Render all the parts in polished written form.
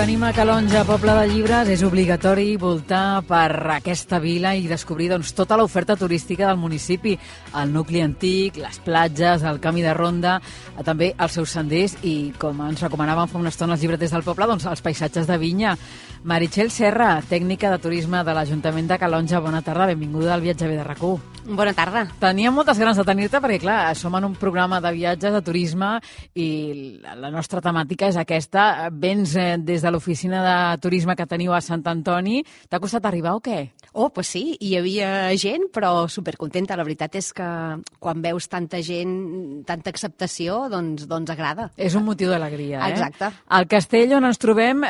venim a Calonge, poble de llibres, és obligatori voltar per aquesta vila i descobrir tota l'oferta turística del municipi, el nucli antic, les platges, el camí de ronda, també els seus senders i, com ens recomanaven fa una estona els llibreters del poble, els paisatges de vinya. Meritxell Serra, tècnica de turisme de l'Ajuntament de Calonge, bona tarda, benvinguda al Viatge de RAC1. Bona tarda. Teníem moltes ganes de tenir-te perquè, clar, som en un programa de viatges, de turisme, i la nostra temàtica és aquesta. Vens des de l'oficina de turisme que teniu a Sant Antoni. T'ha costat arribar o què? Oh, pues sí, hi havia gent, però supercontenta. La veritat és que quan veus tanta gent, tanta acceptació, doncs agrada. És un motiu d'alegria, eh? Exacte. El castell on ens trobem,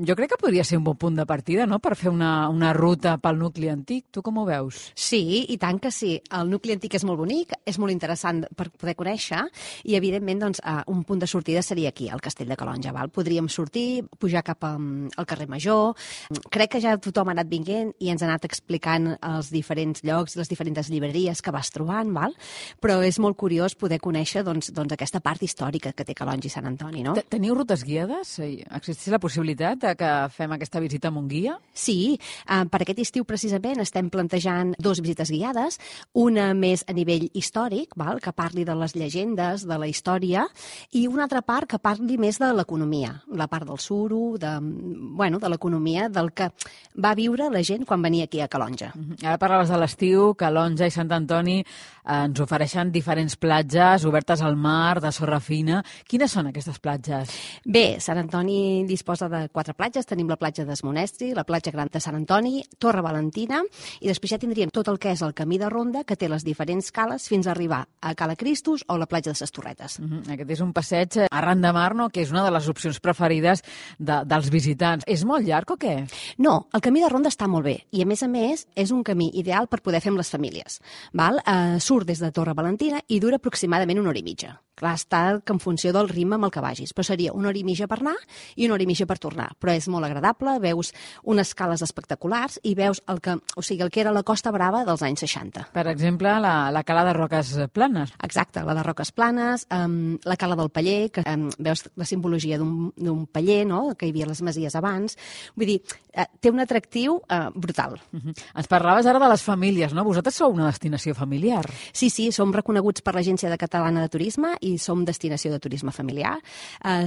jo crec que podria ser un bon punt de partida, no?, per fer una ruta pel nucli antic. Tu com ho veus? Sí, i tant que sí. El nucli antic és molt bonic, és molt interessant per poder conèixer i, evidentment, doncs, un punt de sortida seria aquí, al Castell de Calonge. Podríem sortir, pujar cap al carrer Major. Crec que ja tothom ha anat vinguent i ens ha anat explicant els diferents llocs, les diferents llibreries que vas trobant, però és molt curiós poder conèixer doncs, aquesta part històrica que té Calonge i Sant Antoni, no? Teniu rutes guiades? Existeix la possibilitat que fem aquesta visita amb un guia? Sí, per aquest estiu precisament estem plantejant 2 visites guiades, una més a nivell històric, que parli de les llegendes, de la història, i una altra part que parli més de l'economia, la part del suro, de l'economia, del que va viure la gent quan venia aquí a Calonge. Ara parlaves de l'estiu, Calonge i Sant Antoni ens ofereixen diferents platges obertes al mar, de sorra fina. Quines són aquestes platges? Bé, Sant Antoni disposa de 4 platges. Tenim la platja d'Esmonestri, la platja gran de Sant Antoni, Torre Valentina, i després ja tindríem tot el que és el camí de ronda, que té les diferents cales fins a arribar a Cala Cristos o la platja de ses Torretes. Aquest és un passeig arran de mar, no?, que és una de les opcions preferides dels visitants. És molt llarg o què? No, el camí de ronda està molt bé i, a més, és un camí ideal per poder fer amb les famílies. Surt des de Torre Valentina i dura aproximadament 1 hora i mitja. Clar, està en funció del ritme amb el que vagis, però seria 1 hora i mitja per anar i 1 hora i mitja per tornar. Però és molt agradable, veus unes cales espectaculars i veus el que era la Costa Brava dels anys 60. Per exemple, la cala de Roques Planes. Exacte, la de Roques Planes, la cala del Paller, que veus la simbologia d'un paller, no?, que hi havia les masies abans. Vull dir, té un atractiu brutal. Ens parlaves ara de les famílies, no? Vosaltres sou una destinació familiar. Sí, som reconeguts per l'Agència Catalana de Turisme i som destinació de turisme familiar.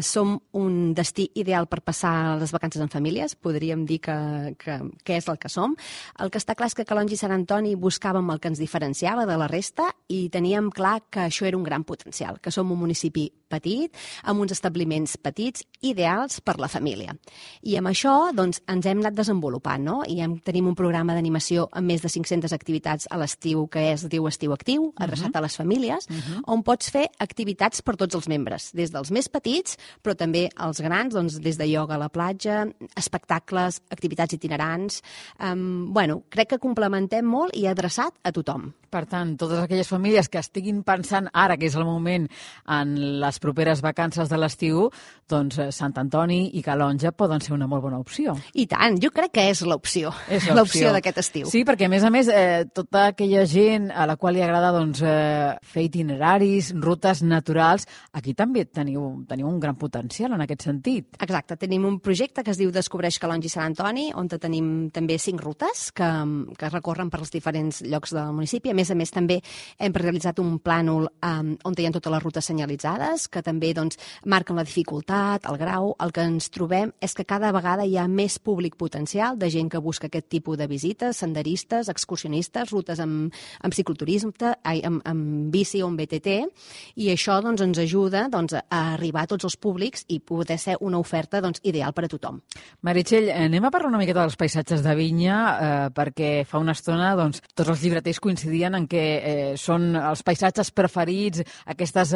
Som un destí ideal per passar les vacances en famílies, podríem dir que és el que som. El que està clar és que Calonge i Sant Antoni buscàvem el que ens diferenciava de la resta i teníem clar que això era un gran potencial, que som un municipi petit, amb uns establiments petits, ideals per la família. I amb això doncs, ens hem anat desenvolupant, no? I tenim un programa d'animació amb més de 500 activitats a l'estiu, que es diu Estiu Actiu, adreçat a les famílies, on pots fer activitats per tots els membres, des dels més petits, però també els grans, doncs, des de ioga a la platja, espectacles, activitats itinerants. Crec que complementem molt i adreçat a tothom. Per tant, totes aquelles famílies que estiguin pensant ara, que és el moment, en les properes vacances de l'estiu, doncs Sant Antoni i Calonge poden ser una molt bona opció. I tant, jo crec que és l'opció d'aquest estiu. Sí, perquè a més, tota aquella gent a la qual li agrada fer itineraris, rutes naturals, aquí també teniu un gran potencial en aquest sentit. Exacte, tenim un projecte que es diu Descobreix Calonge i Sant Antoni, on tenim també 5 rutes que recorren per els diferents llocs del municipi. A més, també hem realitzat un plànol on hi ha totes les rutes senyalitzades, que també marquen la dificultat, el grau. El que ens trobem és que cada vegada hi ha més públic potencial de gent que busca aquest tipus de visites, senderistes, excursionistes, rutes amb cicloturisme, amb bici o amb BTT, i això ens ajuda a arribar a tots els públics i poder ser una oferta ideal per a tothom. Meritxell, anem a parlar una miqueta dels paisatges de vinya, perquè fa una estona tots els llibreters coincidien en que són els paisatges preferits, aquestes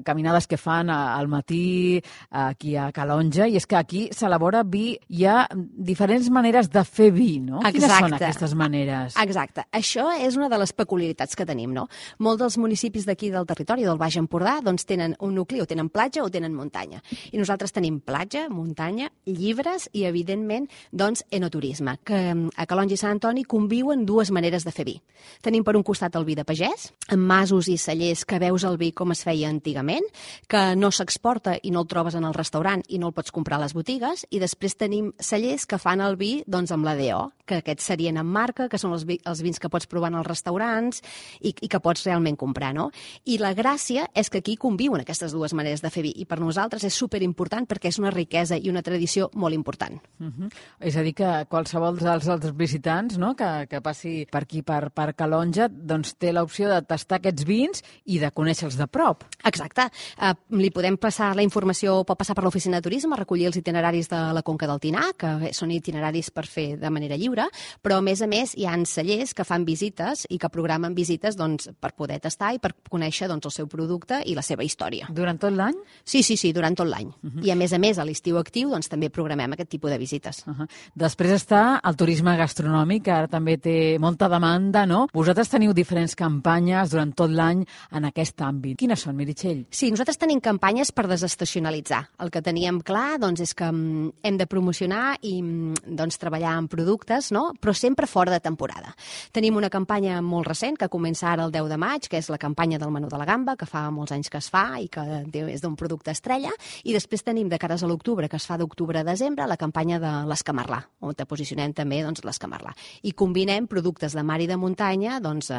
caminades que fan al matí aquí a Calonge, i és que aquí s'elabora vi, hi ha diferents maneres de fer vi, no? Exacte. Quines són aquestes maneres? Exacte. Això és una de les peculiaritats que tenim, no? Molts dels municipis d'aquí del territori del Baix Empordà tenen un nucli, o tenen platja o tenen muntanya. I nosaltres tenim platja, muntanya, llibres i, evidentment, enoturisme, que a Calonge i Sant Antoni conviuen 2 maneres de fer vi. Tenim per un costat costat el vi de pagès, amb masos i cellers que veus el vi com es feia antigament, que no s'exporta i no el trobes en el restaurant i no el pots comprar a les botigues, i després tenim cellers que fan el vi doncs, amb la DO, que aquests serien en marca, que són els vins que pots provar en els restaurants i que pots realment comprar, no? I la gràcia és que aquí conviuen aquestes dues maneres de fer vi, i per nosaltres és superimportant perquè és una riquesa i una tradició molt important. És a dir, que qualsevol dels visitants, no?, que passi per aquí, per Calonge, doncs té l'opció de tastar aquests vins i de conèixer-los de prop. Exacte. Li podem passar la informació, pot passar per l'oficina de turisme, recollir els itineraris de la Conca del Tinà, que són itineraris per fer de manera lliure, però a més hi ha cellers que fan visites i que programen visites doncs, per poder tastar i per conèixer doncs, el seu producte i la seva història. Durant tot l'any? Sí, durant tot l'any. I a més, a l'estiu actiu doncs, també programem aquest tipus de visites. Després està el turisme gastronòmic, que ara també té molta demanda, no? Vosaltres teniu diferents campanyes durant tot l'any en aquest àmbit. Quines són, Meritxell? Sí, nosaltres tenim campanyes per desestacionalitzar. El que teníem clar doncs, és que hem de promocionar i doncs, treballar en productes, no? Però sempre fora de temporada. Tenim una campanya molt recent que comença ara el 10 de maig, que és la campanya del menú de la gamba, que fa molts anys que es fa i que és d'un producte estrella, i després tenim de cares a l'octubre, que es fa d'octubre a desembre, la campanya de l'escamarlà, on te posicionem també doncs, l'escamarlà. I combinem productes de mar i de muntanya doncs,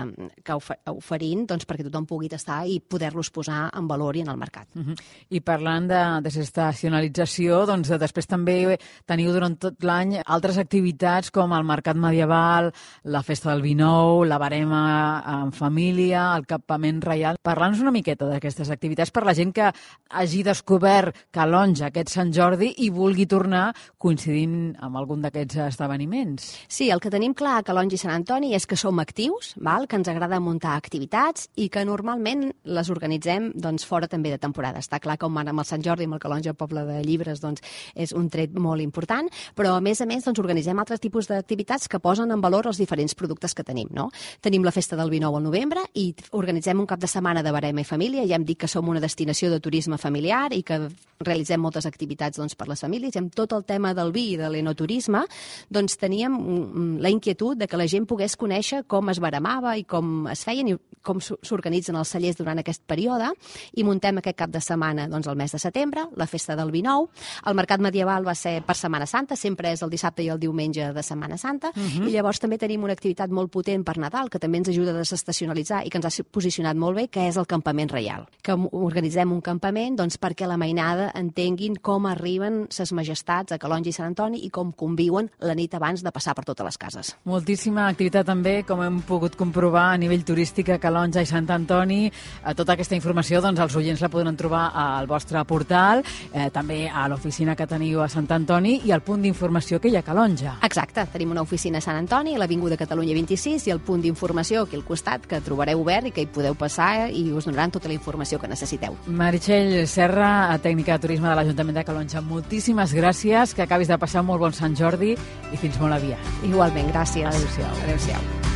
que oferint doncs, perquè tothom pugui tastar i poder-los posar en valor i en el mercat. I parlant de desestacionalització, doncs després també teniu durant tot l'any altres activitats com el Mercat Medieval, la Festa del Vi Nou, la Barema en família, el Campament Reial. Parla'ns una miqueta d'aquestes activitats per la gent que hagi descobert Calonge aquest Sant Jordi i vulgui tornar coincidint amb algun d'aquests esdeveniments. Sí, el que tenim clar a Calonge i Sant Antoni és que som actius, que ens agrada muntar activitats i que normalment les organitzem doncs, fora també de temporada. Està clar que amb el Sant Jordi i amb el Calonge Poble de Llibres doncs, és un tret molt important, però a més doncs, organitzem altres tipus d'activitats que posen en valor els diferents productes que tenim. No? Tenim la Festa del Vi Nou al novembre i organitzem un cap de setmana de barema i família. Ja hem dit que som una destinació de turisme familiar i que realitzem moltes activitats doncs, per les famílies. I amb tot el tema del vi i de l'enoturisme doncs, teníem la inquietud de que la gent pogués conèixer com es baremava i com es feien i com s'organitzen els cellers durant aquest període, i muntem aquest cap de setmana doncs, el mes de setembre, la Festa del Vi Nou. El Mercat Medieval va ser per Setmana Santa, sempre és el dissabte i el diumenge de Setmana Santa, i llavors també tenim una activitat molt potent per Nadal, que també ens ajuda a desestacionalitzar i que ens ha posicionat molt bé, que és el Campament Reial. Que organitzem un campament doncs, perquè la mainada entenguin com arriben ses majestats a Calonge i Sant Antoni i com conviuen la nit abans de passar per totes les cases. Moltíssima activitat també, com hem pogut comprovar a nivell turístic a Calonge i Sant Antoni. Tota aquesta informació doncs, els oients la podran trobar al vostre portal, també a l'oficina que teniu a Sant Antoni i al punt d'informació que hi ha a Calonge. Exacte, tenim una oficina a Sant Antoni, a l'Avinguda Catalunya 26, i el punt d'informació aquí al costat, que trobareu obert i que hi podeu passar i us donaran tota la informació que necessiteu. Meritxell Serra, tècnica de turisme de l'Ajuntament de Calonge, moltíssimes gràcies, que acabis de passar un molt bon Sant Jordi i fins molt aviat. Igualment, gràcies. Adéu-siau. Adéu-siau.